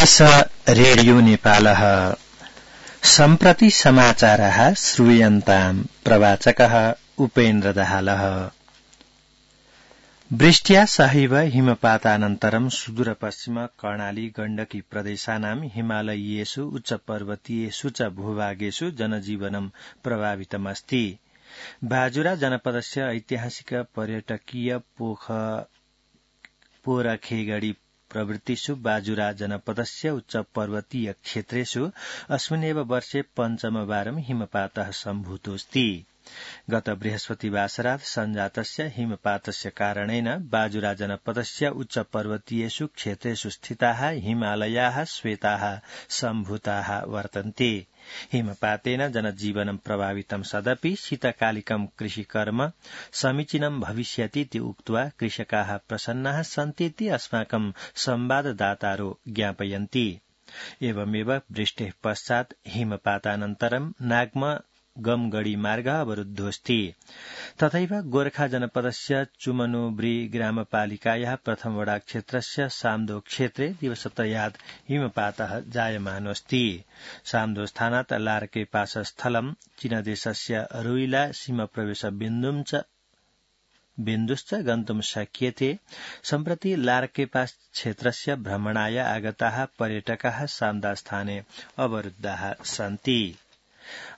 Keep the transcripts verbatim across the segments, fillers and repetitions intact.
SBS radio नेपालः सम्प्रति समाचारः श्रूयन्ताम् प्रवाचकः उपेन्द्र दाहालः। वृष्ट्या सहैव हिमपातानन्तरं सुदूरपश्चिम कर्णाली गण्डकी प्रदेशानां हिमालयीयेषु उच्चपर्वतीयेषु च भूभागेषु जनजीवनं प्रभावितमस्ति। बाजुरा जनपदस्य ऐतिहासिक पर्यटकीय पोख पोरखेगड़ी प्रवृत्तिषु बाजुरा जनपदस्य उच्चपर्वतीय क्षेत्रेषु अस्मिन्नेव वर्षे पञ्चमवारं हिमपातः सम्भूतोऽस्ति। गत बृहस्पतिवासरात् सञ्जातस्य हिमपातस्य कारणेन बाजुरा जनपदस्य उच्चपर्वतीयेषु क्षेत्रेषु स्थिताः हिमालयाः श्वेताः सम्भूताः वर्तन्ते। हिमपातेन जनजीवनं प्रभावितं सदपि शीतकालिकं कृषिकर्म समीचीनं भविष्यतीति उक्त्वा कृषकाः प्रसन्नाः सन्तीति अस्माकं संवाददातारो ज्ञापयन्ति। एवमेव वृष्टेः पश्चात् हिमपातानन्तरं नागम गमगढ़ी मार्ग अवरुद्धोऽस्ति। तथैव गोर्खा जनपदस्य चुमनुब्री ग्रामपालिकायाः प्रथम वडा क्षेत्रस्य साम्दो क्षेत्रे दिवसत्रयात् हिमपातः जायमानोऽस्ति। साम्दो स्थानात् लार्के पासस्थलं चीनदेशस्य रुइला सीमाप्रवेश बिन्दुं च बिन्दुश्च गन्तुं शक्यते। सम्प्रति लार्के पास क्षेत्रस्य भ्रमणाय आगताः पर्यटकाः साम्दास्थाने अवरुद्धाः सन्ति।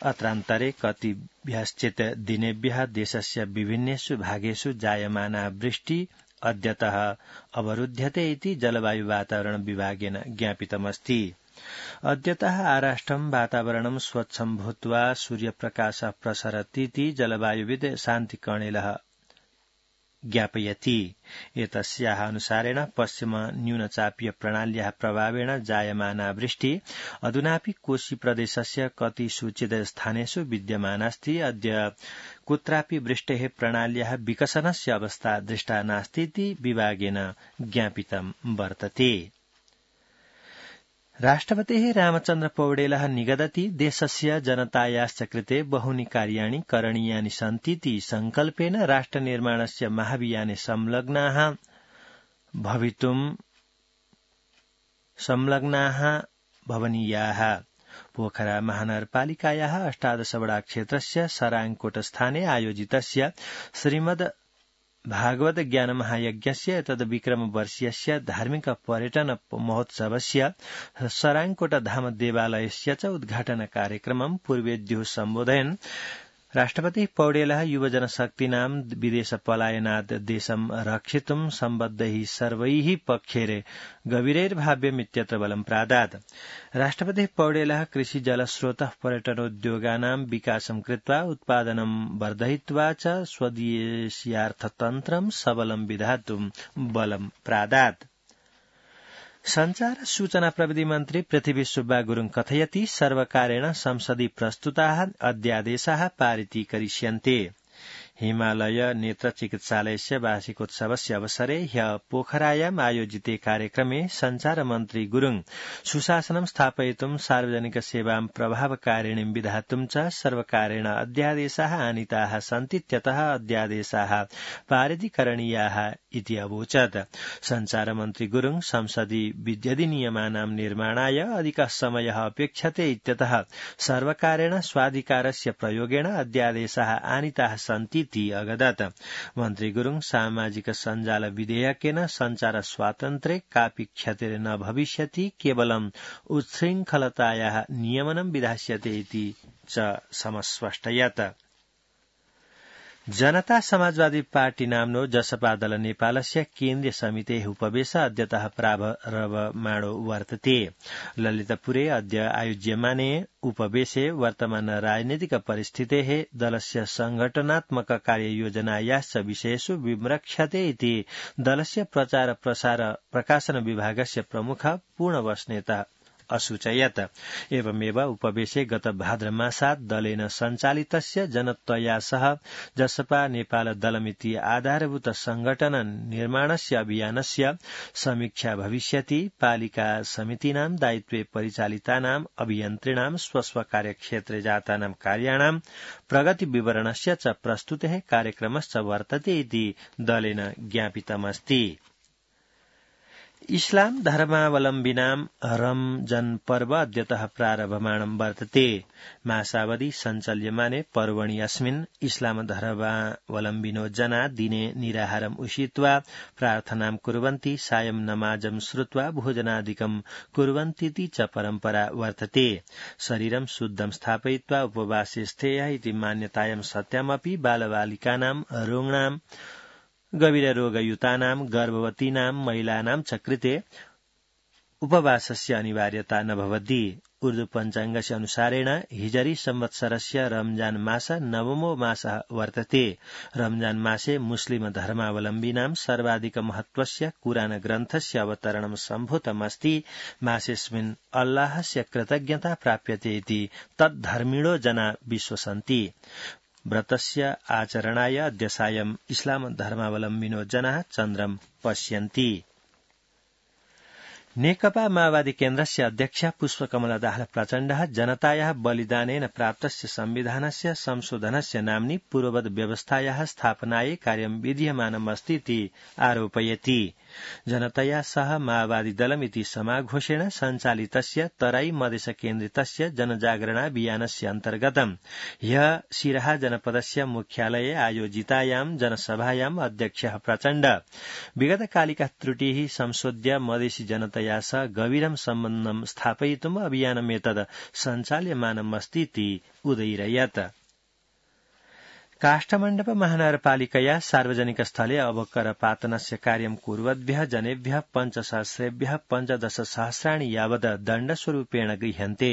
अत्रान्तरे कतिभ्यश्चित् दिनेभ्यः देशस्य विभिन्नेषु भागेषु जायमाना वृष्टि अद्यतः अवरुध्यते इति जलवायु वातावरण विभागेन ज्ञापितमस्ति। अद्यतः आराष्ट्रं वातावरणं स्वच्छं भूत्वा सूर्यप्रकाशः प्रसरतीति जलवायुविद् शान्तिकर्णिलः ज्ञापयति। एतस्याः अनुसारेण पश्चिम न्यूनचापीय प्रणाल्याः प्रभावेण जायमाना वृष्टि अधुनापि कोशी प्रदेशस्य कतिसूचित स्थानेषु विद्यमानास्ति। अद्य कुत्रापि वृष्टेः प्रणाल्याः विकसनस्य अवस्था दृष्टा नास्तीति विभागेन ज्ञापितं वर्तते। राष्ट्रपतिः रामचन्द्र पौडेलः निगदति देशस्य जनतायाश्च कृते बहूनि कार्याणि करणीयानि सन्तीति संकल्पेन राष्ट्रनिर्माणस्य महाभियाने संलग्नाः भवितुं संलग्नाः भवनीयाः। पोखरा महानगरपालिकायाः अष्टादश वडा क्षेत्रस्य सराङकोट स्थाने आयोजितस्य श्रीमद् भागवत ज्ञान महायज्ञस्य तद् विक्रम वर्षीयस्य धार्मिक पर्यटन महोत्सवस्य सराङकोट धाम देवालयस्य च उद्घाटन कार्यक्रमं पूर्वेद्युः सम्बोधयन् राष्ट्रपतिः पौडेलः युवजनशक्तीनां विदेश पलायनात् देशं रक्षितुं सम्बद्धैः सर्वैः पक्षैः गभीरैर्भाव्यमित्यत्र बलं प्रादात्। राष्ट्रपतिः पौडेलः कृषि जलस्रोतः पर्यटनोद्योगानां विकासं कृत्वा उत्पादनं वर्धयित्वा च स्वदेशीयार्थतन्त्रं सबलं विधातुं बलं प्रादात्। संचार सूचना प्रविधि मन्त्री पृथ्वी सुब्बा गुरुङ कथयति सर्वकारेण संसदि प्रस्तुताः अध्यादेशाः पारितीकरिष्यन्ते। हिमालय नेत्र चिकित्सालयस्य वार्षिकोत्सवस्य अवसरे ह्यः पोखरायाम् आयोजिते कार्यक्रमे संचार मन्त्री गुरुङ सुशासनं स्थापयितुं सार्वजनिक सेवां प्रभावकारिणीं विधातुं च सर्वकारेण अध्यादेशाः आनीताः सन्तीत्यतः अध्यादेशाः पारितीकरणीयाः इति अवोचत्। संचार मन्त्री गुरुङ संसदि विध्यधिनियमानां निर्माणाय अधिकः समयः अपेक्षते इत्यतः सर्वकारेण स्वाधिकारस्य प्रयोगेण अध्यादेशाः आनीताः सन्ति अगदत्। मन्त्री गुरुङ सामाजिक सञ्जाल विधेयकेन संचार स्वातन्त्र्ये कापि क्षतिर् न भविष्यति, केवलम् उच्छृङ्खलतायाः नियमनं विधास्यते इति च समस्पष्टयत्। जनता समाजवादी पार्टी नाम्नो जसपा दल नेपालस्य केन्द्रीय समितेः उपवेश अद्यतः प्रारभमाणो वर्तते। ललितपुरे अद्य आयोज्यमाने उपवेशे वर्तमान राजनीतिक परिस्थितेः दलस्य संघटनात्मक कार्ययोजनायाश्च विषयेषु विमृक्षते इति दलस्य प्रचार प्रसार प्रकाशन विभागस्य प्रमुख पूर्णवसनेता असूचयत्। एवमेव उपवेशे गत भाद्रमासात् दलेन सञ्चालितस्य जनत्वया सह जसपा नेपाल दलमिति आधारभूत संघटन निर्माणस्य अभियानस्य समीक्षा भविष्यति। पालिका समितीनां दायित्वे परिचालितानां अभियन्त्रिणां स्वस्व कार्यक्षेत्रे जातानां कार्याणां प्रगति विवरणस्य च प्रस्तुतेः कार्यक्रमश्च वर्तते इति दलेन ज्ञापितमस्ति। इस्लाम धर्मावलम्बिनां रमजन पर्व अद्यतः प्रारभमाणं वर्तते मासावधि सञ्चल्यमाने पर्वणि अस्मिन् इस्लाम धर्मावलम्बिनो जना दिने निराहारम् उषित्वा प्रार्थनां कुर्वन्ति सायं नमाजं श्रुत्वा भोजनादिकं कुर्वन्तीति च परम्परा वर्तते शरीरं शुद्धं स्थापयित्वा उपवासे स्थेयः इति मान्यतायां सत्यामपि बालबालिकानां रोगिणां गभीररोगयुतानां गर्भवतीनां महिलानां च कृते उपवासस्य अनिवार्यता न भवति उर्दू पञ्चाङ्गस्य अनुसारेण हिजरी संवत्सरस्य रमजान मास नवमो मासः वर्तते रमजान मासे मुस्लिम धर्मावलम्बिनां सर्वाधिक महत्वस्य कुरान ग्रन्थस्य अवतरणं सम्भूतमस्ति मासेऽस्मिन् अल्लाहस्य कृतज्ञता प्राप्यते इति तद्धर्मिणो जना विश्वसन्ति व्रतस्य आचरणाय अद्य सायं इस्लाम धर्मावलम्बिनो जनाः चन्द्रं पश्यन्ति नेकपा माओवादी केन्द्रस्य अध्यक्ष पुष्पकमल दाहाल प्रचण्डः जनतायाः बलिदानेन प्राप्तस्य संविधानस्य संशोधनस्य नाम्नि पूर्ववद् व्यवस्थायाः स्थापनायै कार्यं विधीयमानमस्ति इति आरोपयति जनतया सह माओवादी दलमिति समाघोषेण सञ्चालितस्य तराई मधेश केन्द्रितस्य जनजागरणाभियानस्य अन्तर्गतं ह्यः सिराहा जनपदस्य मुख्यालये आयोजितायां जनसभायां अध्यक्षः प्रचण्ड विगतकालिका त्रुटिः संशोध्य मधेसी जनतया सह गभीरं सम्बन्धं स्थापयितुम् अभियानमेतद् सञ्चाल्यमानमस्तीति उदयिरयत् काष्ठमण्डप महानगरपालिकया सार्वजनिक स्थले अवकरपातनस्य कार्यं कुर्वद्भ्यः जनेभ्यः पञ्चसहस्रेभ्यः पञ्चदशसहस्राणि यावत् दण्डस्वरूपेण गृह्यन्ते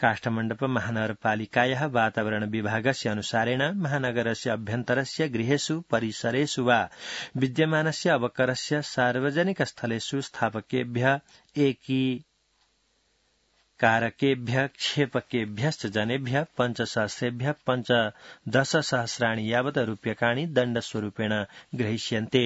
काष्ठमण्डप महानगरपालिकायाः वातावरण विभागस्य अनुसारेण महानगरस्य अभ्यन्तरस्य गृहेषु परिसरेषु वा विद्यमानस्य अवकरस्य सार्वजनिक स्थलेषु स्थापकेभ्यः एकी कारकेभ्यः क्षेपकेभ्यश्च जनेभ्यः पञ्चसहस्रेभ्यः पञ्चदशसहस्राणि यावत् रूप्यकाणि दण्डस्वरूपेण ग्रहीष्यन्ते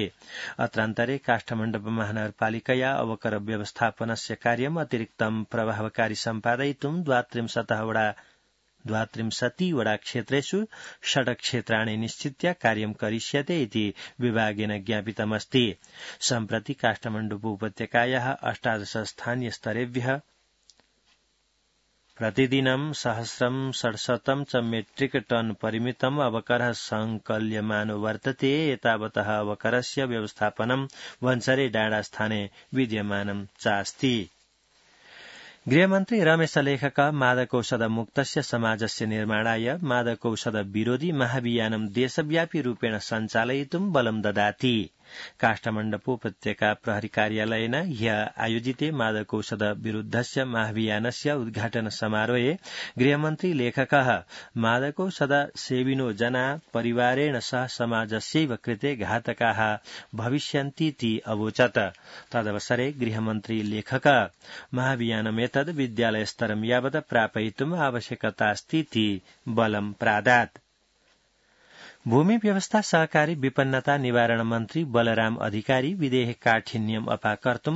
अत्रान्तरे काष्ठमण्डप महानगरपालिकया अवकर व्यवस्थापनस्य कार्यम् अतिरिक्तं प्रभावकारी सम्पादयितुं द्वात्रिंशतः वडा द्वात्रिंशति वडा क्षेत्रेषु षट् क्षेत्राणि निश्चित्य कार्यं करिष्यते इति विभागेन ज्ञापितमस्ति सम्प्रति काष्ठमण्डप उपत्यकायाः अष्टादश स्थानीय स्तरेभ्यः प्रतिदिनं सहस्रं षड्शतं च मेट्रिक टन परिमितम् अवकरः संकल्यमानो वर्तते एतावतः अवकरस्य व्यवस्थापनं वंसरे डाँडा स्थाने विद्यमानं चास्ति गृहमन्त्री रमेश लेखक मादकौषध मुक्तस्य समाजस्य निर्माणाय मादकौषध विरोधी महाभियानं देशव्यापी रूपेण सञ्चालयितुं बलं ददाति काष्ठमण्डपोपत्यका प्रहरी कार्यालयेन ह्यः आयोजिते मादकौषध विरुद्धस्य महाभियानस्य उद्घाटन समारोहे गृहमन्त्री लेखकः मादकौषध सेविनो जना परिवारेण सह समाजस्यैव कृते घातकाः भविष्यन्तीति अवोचत् तदवसरे गृहमन्त्री लेखक महाभियानमेतद् विद्यालयस्तरं यावत् प्रापयितुम् आवश्यकतास्तीति बलं प्रादात् भूमि व्यवस्था सहकारी विपन्नता निवारण मन्त्री बलराम अधिकारी विधेयक काठिन्यम् अपाकर्तुं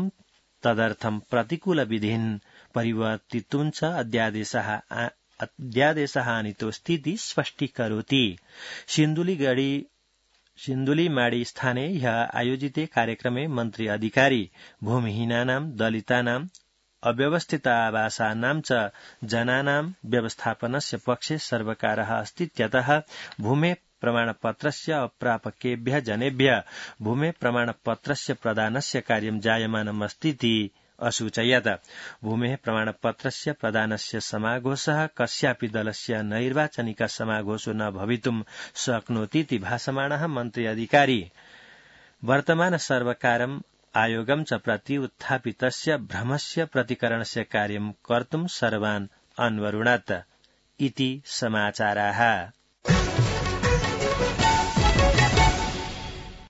तदर्थं प्रतिकूल विधिन् परिवर्तितुं च अध्यादेशः अध्यादेशः आनीतोऽस्तीति स्पष्टीकरोति सिन्धुलीगढी सिन्धुलीमाड़ी स्थाने ह्यः आयोजिते कार्यक्रमे मन्त्री अधिकारी भूमिहीनानां दलितानां अव्यवस्थित आवासानां च जनानां व्यवस्थापनस्य पक्षे सर्वकारः अस्तीत्यतः भूमे प्रमाणपत्रस्य अप्रापकेभ्यः जनेभ्यः भूमे प्रमाणपत्रस्य प्रदानस्य कार्यं जायमानमस्तीति असूचयत् भूमेः प्रमाणपत्रस्य प्रदानस्य समाघोषः कस्यापि दलस्य नैर्वाचनिक समाघोषो न भवितुं शक्नोतीति भाषमाणः मन्त्री अधिकारी वर्तमान सर्वकारम् आयोगं च प्रति उत्थापितस्य भ्रमस्य प्रतिकरणस्य कार्यं कर्तुं सर्वान् अन्वरुणत् इति समाचाराः।